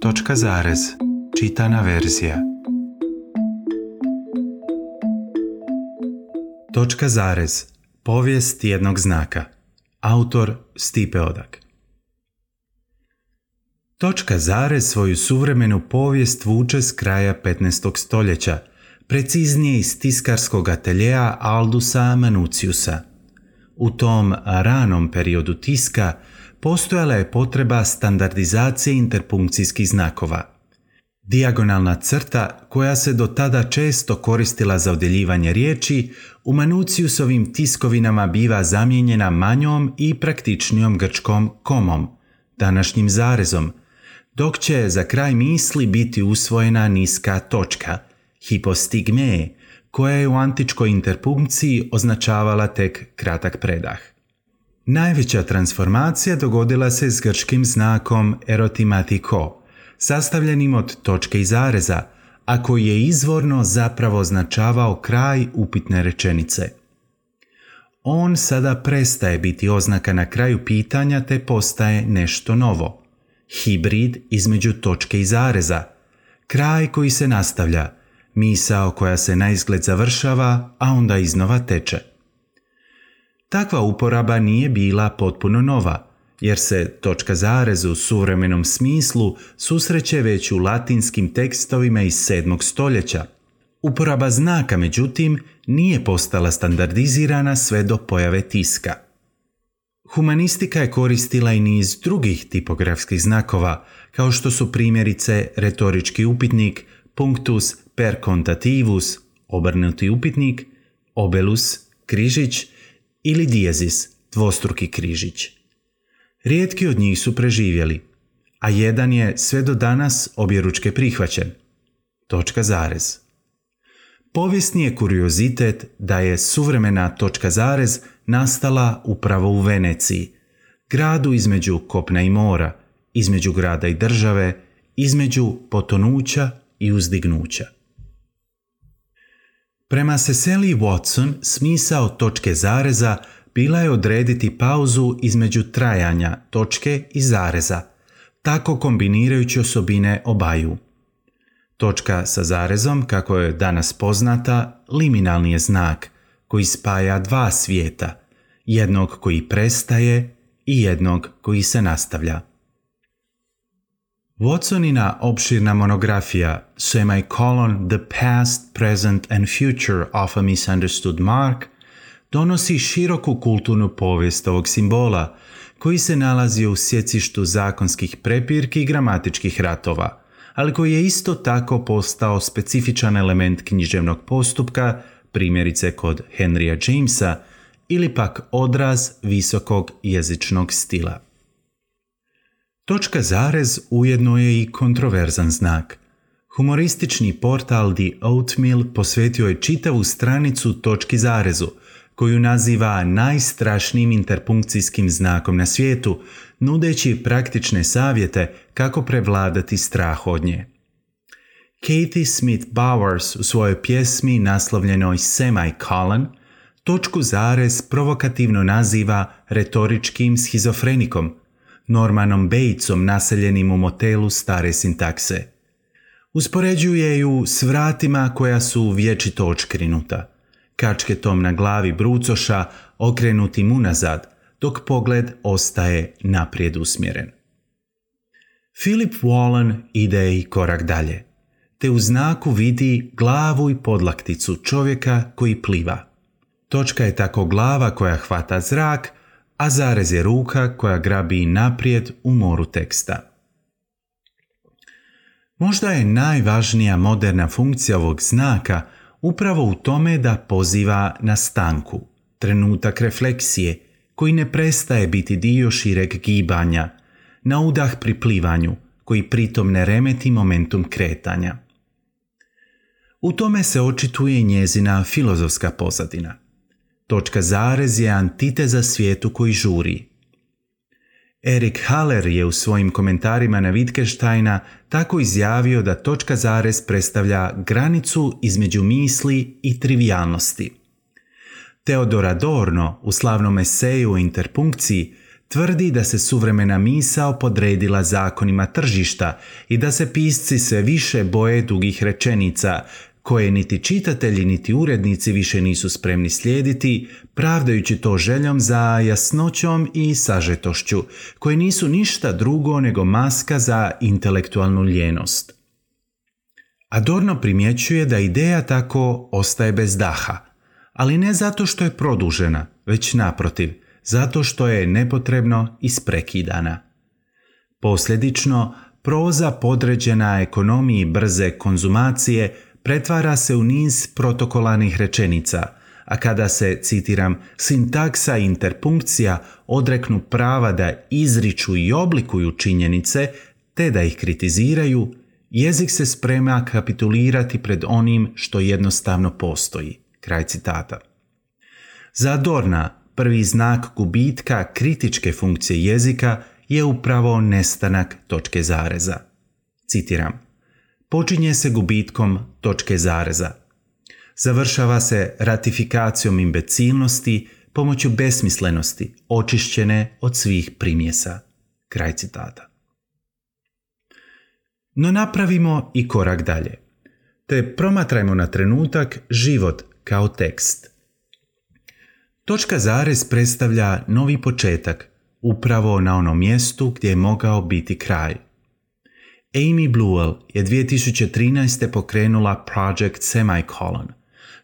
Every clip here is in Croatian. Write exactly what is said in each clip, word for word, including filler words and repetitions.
Točka zarez. Čitana verzija. Točka zarez. Povijest jednog znaka. Autor Stipe Odak. Točka zarez svoju suvremenu povijest vuče s kraja petnaestog stoljeća, preciznije iz tiskarskog ateljeja Aldusa Manutiusa. U tom ranom periodu tiska postojala je potreba standardizacije interpunkcijskih znakova. Dijagonalna crta, koja se do tada često koristila za odjeljivanje riječi, u Manutiusovim tiskovinama biva zamijenjena manjom i praktičnijom grčkom komom, današnjim zarezom, dok će za kraj misli biti usvojena niska točka, hipostigme, koja je u antičkoj interpunkciji označavala tek kratak predah. Najveća transformacija dogodila se s grčkim znakom erotimatiko, sastavljenim od točke i zareza, a koji je izvorno zapravo označavao kraj upitne rečenice. On sada prestaje biti oznaka na kraju pitanja te postaje nešto novo. Hibrid između točke i zareza, kraj koji se nastavlja, misao koja se naizgled završava, a onda iznova teče. Takva uporaba nije bila potpuno nova, jer se točka zarez u suvremenom smislu susreće već u latinskim tekstovima iz sedmog stoljeća. Uporaba znaka, međutim, nije postala standardizirana sve do pojave tiska. Humanistika je koristila i niz drugih tipografskih znakova, kao što su primjerice retorički upitnik, punctus per contativus, obrnuti upitnik, obelus, križić, ili dijezis, dvostruki križić. Rijetki od njih su preživjeli, a jedan je sve do danas objeručke prihvaćen. Točka zarez. Povijesni je kuriozitet da je suvremena točka zarez nastala upravo u Veneciji, gradu između kopna i mora, između grada i države, između potonuća i uzdignuća. Prema Cecily Watson, smisao točke zareza bila je odrediti pauzu između trajanja točke i zareza, tako kombinirajući osobine obaju. Točka sa zarezom, kako je danas poznata, liminalni je znak koji spaja dva svijeta, jednog koji prestaje i jednog koji se nastavlja. Watsonina opširna monografija Semicolon The Past, Present and Future of a Misunderstood Mark donosi široku kulturnu povijest ovog simbola koji se nalazi u sjecištu zakonskih prepirki i gramatičkih ratova, ali koji je isto tako postao specifičan element književnog postupka, primjerice kod Henrya Jamesa, ili pak odraz visokog jezičnog stila. Točka zarez ujedno je i kontroverzan znak. Humoristični portal The Oatmeal posvetio je čitavu stranicu točki zarezu, koju naziva najstrašnijim interpunkcijskim znakom na svijetu, nudeći praktične savjete kako prevladati strah od nje. Kathy Smith Bowers u svojoj pjesmi naslovljenoj Semicolon točku zarez provokativno naziva retoričkim schizofrenikom, Normanom Batesom naseljenim u motelu stare sintakse. Uspoređuje ju s vratima koja su vječito očkrinuta, kačketom na glavi brucoša okrenutim unazad, dok pogled ostaje naprijed usmjeren. Philip Whalen ide i korak dalje, te u znaku vidi glavu i podlakticu čovjeka koji pliva. Točka je tako glava koja hvata zrak, a zarez je ruka koja grabi naprijed u moru teksta. Možda je najvažnija moderna funkcija ovog znaka upravo u tome da poziva na stanku, trenutak refleksije, koji ne prestaje biti dio šireg gibanja, na udah pri plivanju, koji pritom ne remeti momentum kretanja. U tome se očituje njezina filozofska pozadina. Točka zarez je antiteza svijetu koji žuri. Erik Haller je u svojim komentarima na Wittgensteina tako izjavio da točka zarez predstavlja granicu između misli i trivijalnosti. Theodor Adorno u slavnom eseju o interpunkciji tvrdi da se suvremena misao podredila zakonima tržišta i da se pisci sve više boje dugih rečenica, koje niti čitatelji niti urednici više nisu spremni slijediti, pravdajući to željom za jasnoćom i sažetošću, koje nisu ništa drugo nego maska za intelektualnu ljenost. Adorno primjećuje da ideja tako ostaje bez daha, ali ne zato što je produžena, već naprotiv, zato što je nepotrebno isprekidana. Posljedično, proza podređena ekonomiji brze konzumacije pretvara se u niz protokolarnih rečenica, a kada se, citiram, sintaksa i interpunkcija odreknu prava da izriču i oblikuju činjenice, te da ih kritiziraju, jezik se sprema kapitulirati pred onim što jednostavno postoji. Kraj citata. Za Adorna, prvi znak gubitka kritičke funkcije jezika je upravo nestanak točke zareza. Citiram: počinje se gubitkom točke zareza. Završava se ratifikacijom imbecilnosti pomoću besmislenosti, očišćene od svih primjesa. Kraj citata. No napravimo i korak dalje, te promatrajmo na trenutak život kao tekst. Točka zarez predstavlja novi početak, upravo na onom mjestu gdje je mogao biti kraj. Amy Bluell je dvije tisuće trinaeste pokrenula Project Semicolon,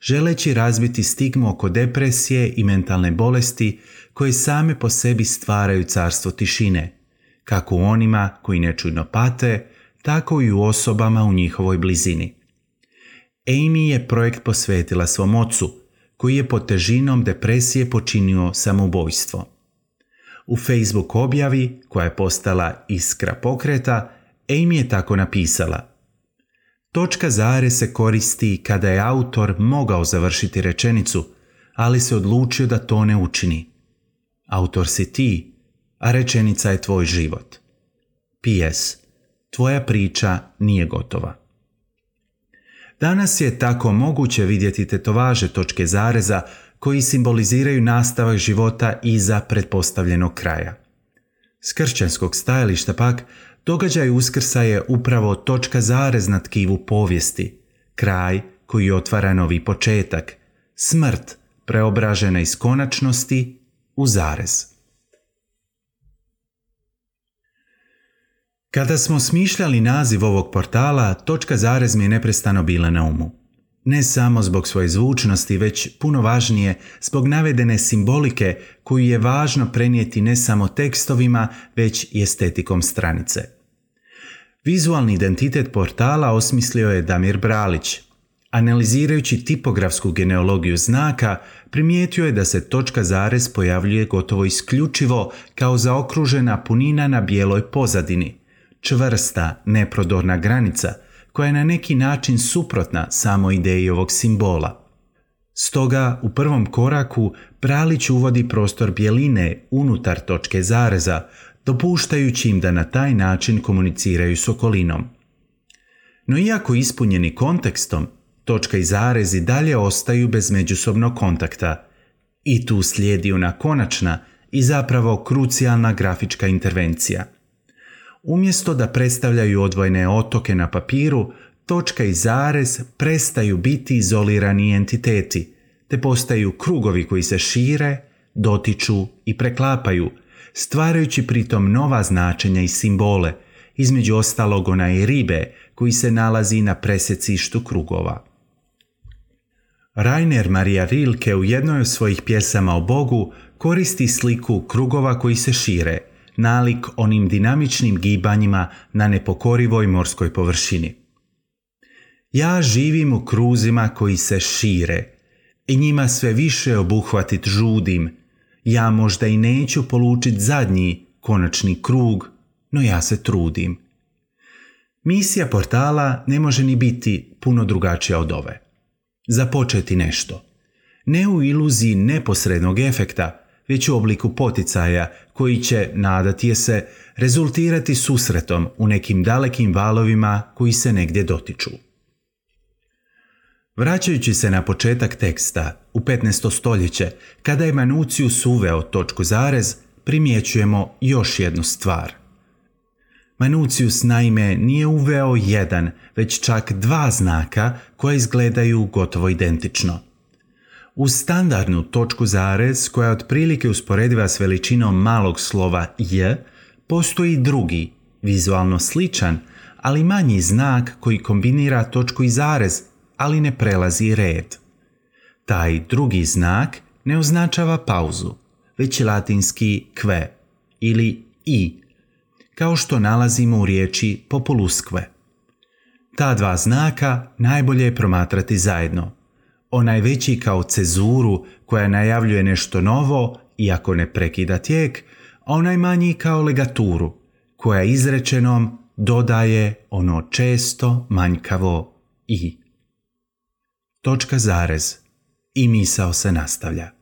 želeći razbiti stigmu oko depresije i mentalne bolesti koje same po sebi stvaraju carstvo tišine, kako u onima koji nečujno pate, tako i u osobama u njihovoj blizini. Amy je projekt posvetila svom ocu, koji je pod težinom depresije počinio samoubojstvo. U Facebook objavi, koja je postala iskra pokreta, Amy je tako napisala: točka zarez se koristi kada je autor mogao završiti rečenicu, ali se odlučio da to ne učini. Autor si ti, a rečenica je tvoj život. P S. Tvoja priča nije gotova. Danas je tako moguće vidjeti tetovaže točke zareza koji simboliziraju nastavak života iza pretpostavljenog kraja. S kršćanskog stajališta pak, događaj Uskrsa je upravo točka zarez na tkivu povijesti, kraj koji otvara novi početak, smrt preobražena iz konačnosti u zarez. Kada smo smišljali naziv ovog portala, točka zarez mi je neprestano bila na umu. Ne samo zbog svoje zvučnosti, već puno važnije zbog navedene simbolike koju je važno prenijeti ne samo tekstovima, već i estetikom stranice. Vizualni identitet portala osmislio je Damir Bralić. Analizirajući tipografsku genealogiju znaka, primijetio je da se točka zarez pojavljuje gotovo isključivo kao zaokružena punina na bijeloj pozadini, čvrsta, neprodorna granica koja je na neki način suprotna samo ideji ovog simbola. Stoga u prvom koraku Bralić uvodi prostor bjeline unutar točke zareza, dopuštajući im da na taj način komuniciraju s okolinom. No iako ispunjeni kontekstom, točka i zarez i dalje ostaju bez međusobnog kontakta. I tu slijedi ona konačna i zapravo krucijalna grafička intervencija. Umjesto da predstavljaju odvojene otoke na papiru, točka i zarez prestaju biti izolirani entiteti, te postaju krugovi koji se šire, dotiču i preklapaju, stvarajući pritom nova značenja i simbole, između ostalog onaj ribe koji se nalazi na presjecištu krugova. Rainer Maria Rilke u jednoj od svojih pjesama o Bogu koristi sliku krugova koji se šire, nalik onim dinamičnim gibanjima na nepokorivoj morskoj površini. Ja živim u kruzima koji se šire i njima sve više obuhvatit žudim. Ja možda i neću polučit zadnji, konačni krug, no ja se trudim. Misija portala ne može ni biti puno drugačija od ove. Započeti nešto. Ne u iluziji neposrednog efekta, već u obliku poticaja koji će, nadati je se, rezultirati susretom u nekim dalekim valovima koji se negdje dotiču. Vraćajući se na početak teksta, u petnaesto stoljeće, kada je Manucius uveo točku zarez, primjećujemo još jednu stvar. Manucius naime nije uveo jedan, već čak dva znaka koja izgledaju gotovo identično. Uz standardnu točku zarez, koja je otprilike usporediva s veličinom malog slova j, postoji drugi, vizualno sličan, ali manji znak koji kombinira točku i zarez, ali ne prelazi red. Taj drugi znak ne označava pauzu, već je latinski que ili i, kao što nalazimo u riječi populusque. Ta dva znaka najbolje je promatrati zajedno. Onaj veći kao cezuru koja najavljuje nešto novo, iako ne prekida tijek, a onaj manji kao legaturu, koja izrečenom dodaje ono često manjkavo i. Točka zarez i misao se nastavlja.